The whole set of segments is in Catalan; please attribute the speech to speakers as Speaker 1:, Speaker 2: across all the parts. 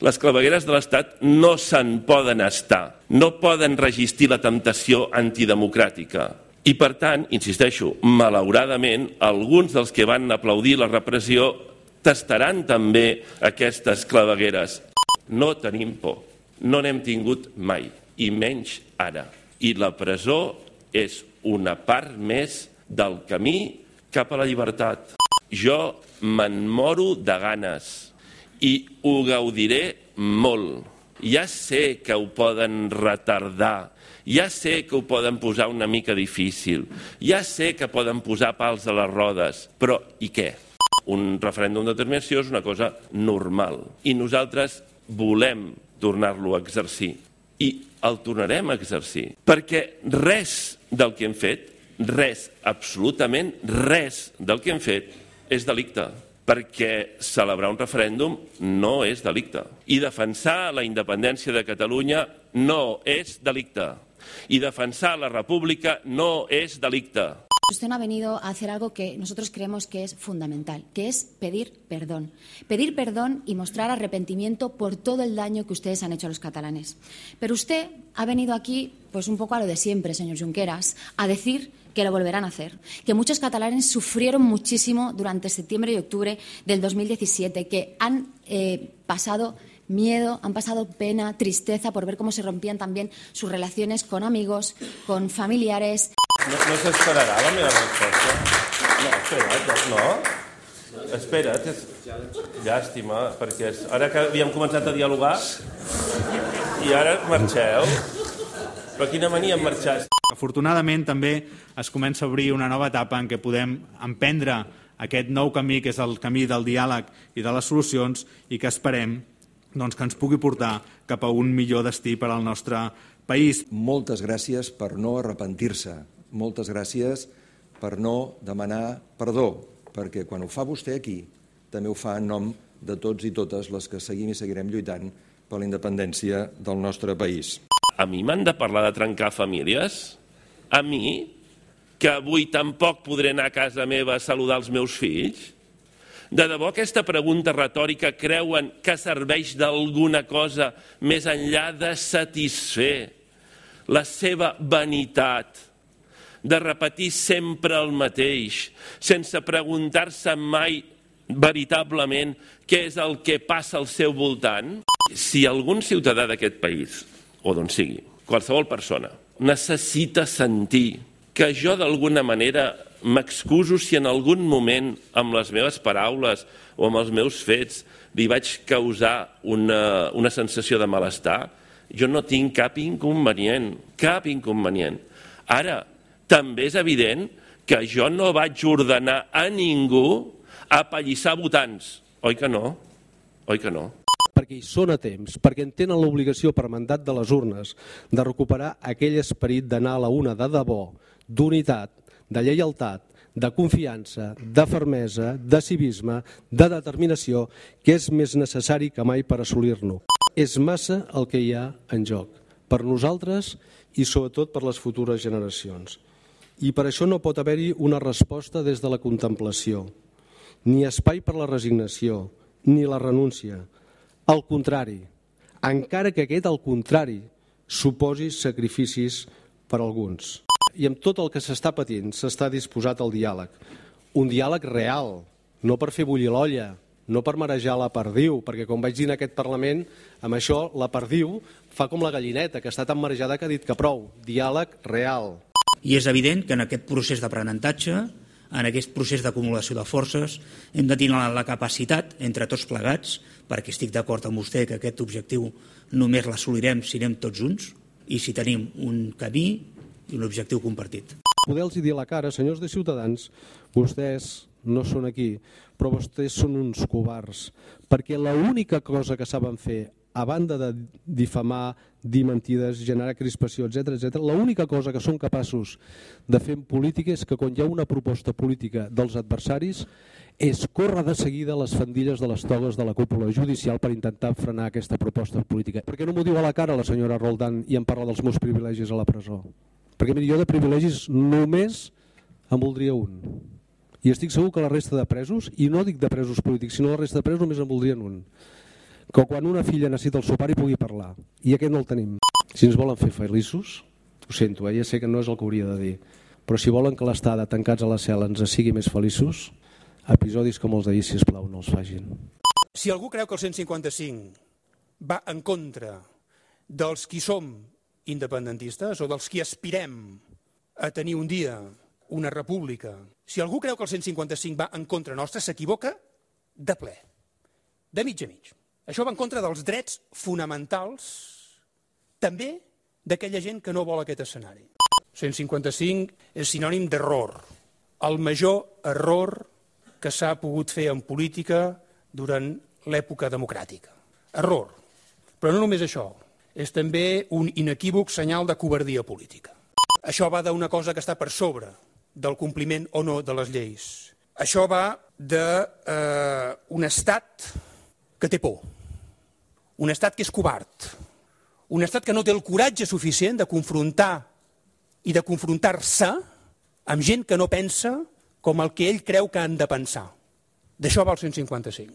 Speaker 1: Les clavegueres de l'Estat no se'n poden estar, no poden resistir la temptació antidemocràtica. I per tant, insisteixo, malauradament, alguns dels que van aplaudir la repressió tastaran també aquestes clavegueres. No tenim por, no n'hem tingut mai, i menys ara. I la presó és una part més del camí cap a la llibertat. Jo me'n moro de ganes i ho gaudiré molt. Ja sé que ho poden retardar, ja sé que ho poden posar una mica difícil, ja sé que poden posar pals a les rodes, però i què? Un referèndum d'autodeterminació és una cosa normal i nosaltres volem tornar-lo a exercir i el tornarem a exercir perquè res del que hem fet, res, absolutament res del que hem fet és delicte. Perquè celebrar un referèndum no és delicte. I defensar la independència de Catalunya no és delicte. Y defensar la República no es delicte.
Speaker 2: Usted no ha venido a hacer algo que nosotros creemos que es fundamental, que es pedir perdón. Pedir perdón y mostrar arrepentimiento por todo el daño que ustedes han hecho a los catalanes. Pero usted ha venido aquí, pues un poco a lo de siempre, señor Junqueras, a decir que lo volverán a hacer, que muchos catalanes sufrieron muchísimo durante septiembre y octubre del 2017, que han pasado miedo, han pasado pena, tristeza por ver cómo se rompían también sus relaciones con amigos, con familiares.
Speaker 1: No s'esperarà la meva resposta? No, espera't, no. Espera't, llàstima, perquè ara que havíem començat a dialogar i ara marxeu. Però quina mania en marxar.
Speaker 3: Afortunadament també es comença a obrir una nova etapa en què podem emprendre aquest nou camí, que és el camí del diàleg i de les solucions, i que esperem que ens pugui portar cap a un millor destí per al nostre país.
Speaker 4: Moltes gràcies per no arrepentir-se, moltes gràcies per no demanar perdó, perquè quan ho fa vostè aquí, també ho fa en nom de tots i totes les que seguim i seguirem lluitant per la independència del nostre país.
Speaker 1: A mi m'han de parlar de trencar famílies? A mi? Que avui tampoc podré anar a casa meva a saludar els meus fills? De debò aquesta pregunta retòrica creuen que serveix d'alguna cosa més enllà de satisfer la seva vanitat, de repetir sempre el mateix, sense preguntar-se mai veritablement què és el que passa al seu voltant? Si algun ciutadà d'aquest país, o d'on sigui, qualsevol persona, necessita sentir que jo d'alguna manera m'excuso si en algun moment amb les meves paraules o amb els meus fets li vaig causar una sensació de malestar, jo no tinc cap inconvenient, cap inconvenient. Ara, també és evident que jo no vaig ordenar a ningú apallissar votants. Oi que no? Oi que no?
Speaker 5: Perquè hi són a temps, perquè en tenen l'obligació per mandat de les urnes de recuperar aquell esperit d'anar a la una de debò, d'unitat, de lleialtat, de confiança, de fermesa, de civisme, de determinació, que és més necessari que mai per assolir-lo. És massa el que hi ha en joc, per nosaltres i sobretot per les futures generacions. I per això no pot haver-hi una resposta des de la contemplació, ni espai per la resignació, ni la renúncia. Al contrari, encara que aquest al contrari suposi sacrificis per alguns. I amb tot el que s'està patint s'està disposat al diàleg. Un diàleg real, no per fer bullir l'olla, no per marejar la perdiu, perquè com vaig dir en aquest Parlament, amb això la perdiu fa com la gallineta, que està tan marejada que ha dit que prou. Diàleg real.
Speaker 6: I és evident que en aquest procés d'aprenentatge, en aquest procés d'acumulació de forces, hem de tenir la capacitat, entre tots plegats, perquè estic d'acord amb vostè que aquest objectiu només l'assolirem si anem tots junts i si tenim un camí i un objectiu compartit.
Speaker 5: Poder-los dir a la cara, senyors de Ciutadans, vostès no són aquí, però vostès són uns covards, perquè l'única cosa que saben fer, a banda de difamar, dir mentides, generar crispació, etc., l'única cosa que són capaços de fer en política és que quan hi ha una proposta política dels adversaris és córrer de seguida les faldilles de les togues de la cúpula judicial per intentar frenar aquesta proposta política. Per què no m'ho diu a la cara la senyora Roldán i em parla dels meus privilegis a la presó? Perquè miri, jo de privilegis només en voldria un. I estic segur que la resta de presos, i no dic de presos polítics, sinó la resta de presos només en voldrien un. que quan una filla necessita el seu pare hi pugui parlar, i aquest no el tenim. Si ens volen fer feliços, ho sento, ja sé que no és el que hauria de dir, però si volen que l'estada tancats a la cel·la ens sigui més feliços, episodis com els d'ahir, sisplau, no els facin.
Speaker 7: Si algú creu que el 155 va en contra dels qui som independentistes o dels qui aspirem a tenir un dia una república, si algú creu que el 155 va en contra nostra, s'equivoca de ple, de mig a mig. Això va en contra dels drets fonamentals, també d'aquella gent que no vol aquest escenari. 155 és sinònim d'error, el major error que s'ha pogut fer en política durant l'època democràtica. Error. Però no només això, és també un inequívoc senyal de covardia política. Això va d'una cosa que està per sobre del compliment o no de les lleis. Això va d'un estat que té por, un estat que és covard, un estat que no té el coratge suficient de confrontar i de confrontar-se amb gent que no pensa com el que ell creu que han de pensar. D'això va el 155.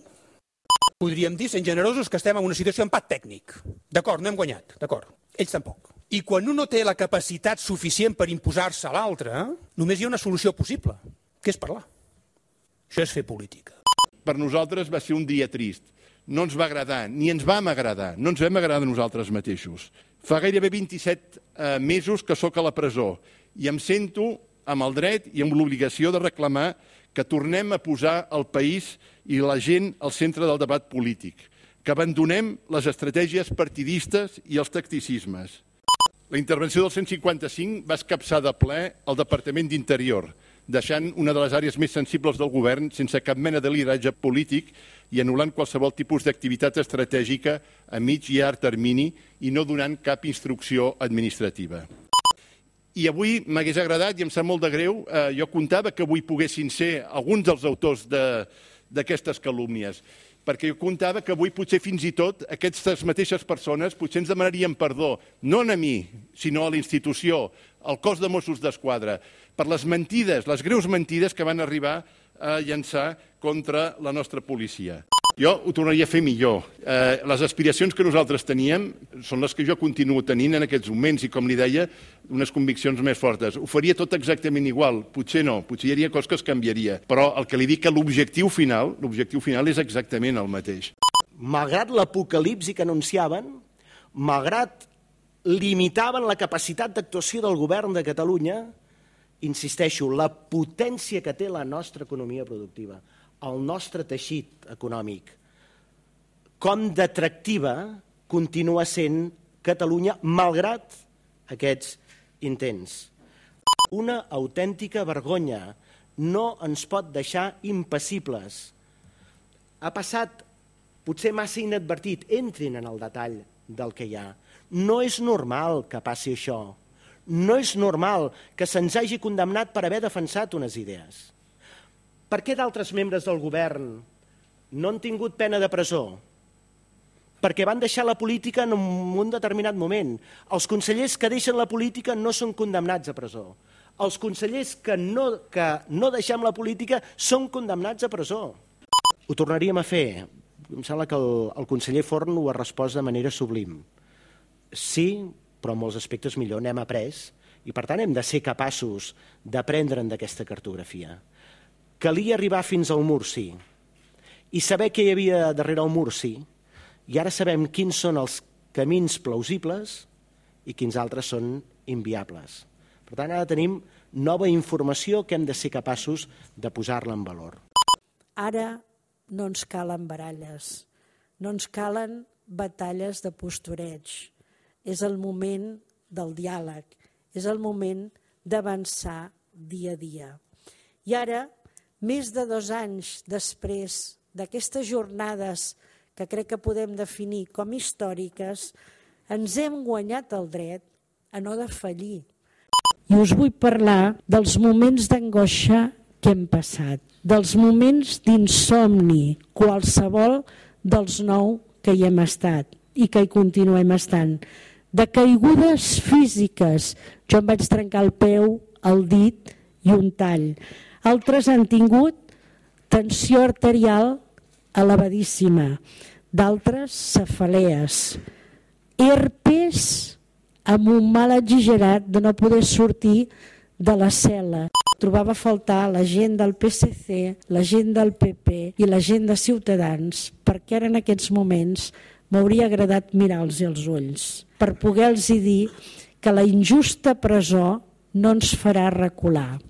Speaker 7: Podríem dir, sent generosos, que estem en una situació d'empat tècnic. D'acord, no hem guanyat, d'acord. Ells tampoc. I quan un no té la capacitat suficient per imposar-se a l'altre, només hi ha una solució possible, que és parlar. Això és fer política.
Speaker 8: Per nosaltres va ser un dia trist. No ens va agradar, ni ens vam agradar. No ens vam agradar nosaltres mateixos. Fa gairebé 27 mesos que sóc a la presó i em sento amb el dret i amb l'obligació de reclamar que tornem a posar el país i la gent al centre del debat polític, que abandonem les estratègies partidistes i els tacticismes. La intervenció del 155 va escapçar de ple el Departament d'Interior, deixant una de les àrees més sensibles del govern sense cap mena de lideratge polític i anul·lant qualsevol tipus d'activitat estratègica a mig i llarg termini i no donant cap instrucció administrativa. I avui m'hagués agradat, i em sap molt de greu, jo comptava que avui poguessin ser alguns dels autors d'aquestes calúmnies, perquè jo comptava que avui potser fins i tot aquestes mateixes persones potser ens demanarien perdó, no a mi, sinó a la institució, al cos de Mossos d'Esquadra, per les mentides, les greus mentides que van arribar a llançar contra la nostra policia. Jo ho tornaria a fer millor. Les aspiracions que nosaltres teníem són les que jo continuo tenint en aquests moments i, com li deia, unes conviccions més fortes. Ho faria tot exactament igual. Potser no, potser hi hauria coses que es canviaria. Però el que li dic que l'objectiu final és exactament el mateix.
Speaker 9: Malgrat l'apocalipsi que anunciaven, malgrat limitaven la capacitat d'actuació del govern de Catalunya, insisteixo, la potència que té la nostra economia productiva, el nostre teixit econòmic, com d'atractiva continua sent Catalunya malgrat aquests intents. Una autèntica vergonya, no ens pot deixar impassibles. Ha passat potser massa inadvertit, entrin en el detall del que hi ha. No és normal que passi això. No és normal que se'ns hagi condemnat per haver defensat unes idees. Per què d'altres membres del govern no han tingut pena de presó? Perquè van deixar la política en un determinat moment. Els consellers que deixen la política no són condemnats a presó. Els consellers que no deixem la política són condemnats a presó. Ho tornaríem a fer. Em sembla que el conseller Forn ho ha respost de manera sublim. Sí, però en molts aspectes millor, n'hem après i per tant hem de ser capaços d'aprendre'n d'aquesta cartografia. Calia arribar fins al mur, sí, i saber què hi havia darrere el mur, sí, i ara sabem quins són els camins plausibles i quins altres són inviables. Per tant, ara tenim nova informació que hem de ser capaços de posar-la en valor.
Speaker 10: Ara no ens calen baralles, no ens calen batalles de postureig. És el moment del diàleg, és el moment d'avançar dia a dia. I ara, més de 2 anys després d'aquestes jornades que crec que podem definir com històriques, ens hem guanyat el dret a no defallir. I us vull parlar dels moments d'angoixa que hem passat, dels moments d'insomni, qualsevol dels 9 que hi hem estat i que hi continuem estant, de caigudes físiques. Jo em vaig trencar el peu, el dit i un tall. Altres han tingut tensió arterial elevadíssima, d'altres cefalees, herpes amb un mal exagerat de no poder sortir de la cel·la. Trobava a faltar la gent del PSC, la gent del PP i la gent de Ciutadans, perquè ara en aquests moments m'hauria agradat mirar-los als ulls per poder-los dir que la injusta presó no ens farà recular.